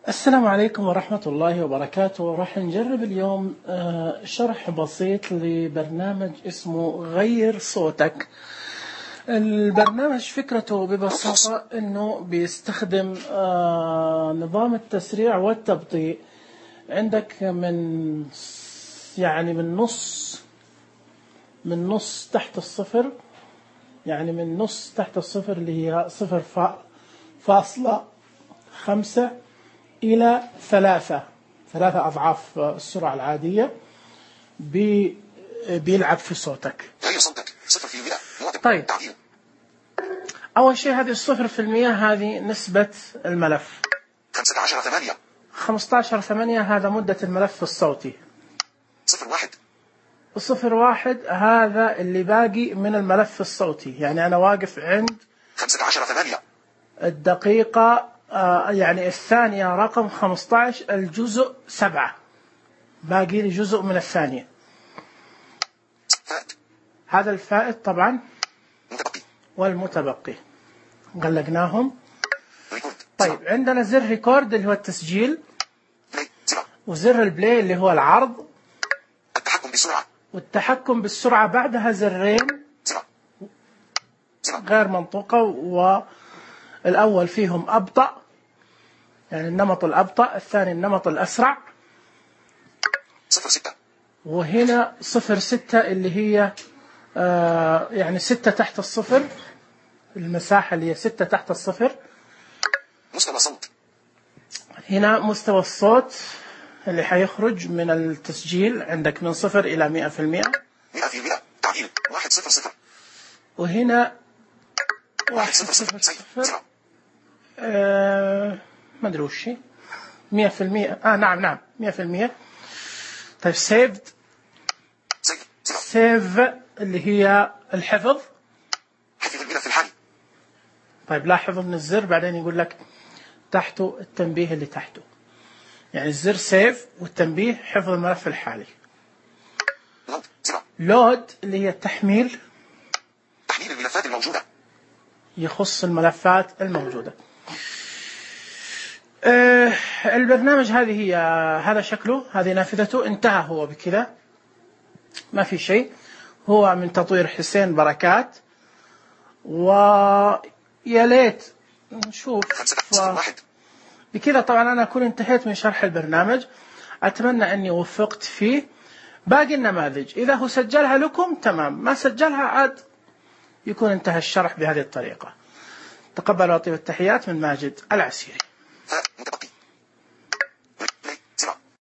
السلام عليكم ورحمة الله وبركاته. راح نجرب اليوم شرح بسيط لبرنامج اسمه غير صوتك. البرنامج فكرته ببساطة انه بيستخدم نظام التسريع والتبطيء. عندك من نص تحت الصفر، يعني من نص تحت الصفر اللي هي 0.5 إلى 3 أضعاف السرعة العادية بيلعب في صوتك. طيب، أول شيء هذه 0% هذه نسبة الملف. 15/8 هذا مدة الملف الصوتي. 0.1 هذا اللي باقي من الملف الصوتي، يعني أنا واقف عند 15/8 الدقيقة يعني الثانية رقم 15 الجزء 7، باقي لي جزء من الثانية. هذا الفائت طبعا والمتبقي غلقناهم. طيب، عندنا زر ريكورد اللي هو التسجيل، وزر البلاي اللي هو العرض، والتحكم بالسرعة بعدها زرين غير منطوقة، والأول فيهم أبطأ يعني النمط الأبطأ، الثاني النمط الأسرع. 0.6 وهنا 0.6 اللي هي يعني 6 تحت الصفر، المساحة اللي هي 6 تحت الصفر. مستوى صوت. هنا مستوى الصوت اللي حيخرج من التسجيل عندك من 0 إلى 100%. 100% تعديل 100. وهنا 100. ما أدري وش هي 100%. نعم 100%. طيب، سيف اللي هي الحفظ. حفظ الملف الحالي. طيب، لاحظوا من الزر بعدين يقول لك تحته التنبيه اللي تحته، يعني الزر سيف والتنبيه حفظ الملف الحالي. لود اللي هي التحميل، تحميل الملفات الموجودة، يخص الملفات الموجودة. البرنامج هذا شكله، هذه نافذته، انتهى هو بكذا، ما في شيء. هو من تطوير حسين بركات، ويا ليت نشوف بكذا. طبعا أنا أكون انتهيت من شرح البرنامج، أتمنى أني وفقت فيه. باقي النماذج إذا هو سجلها لكم تمام، ما سجلها عاد يكون انتهى الشرح بهذه الطريقة. تقبلوا وأطيب التحيات من ماجد العسيري.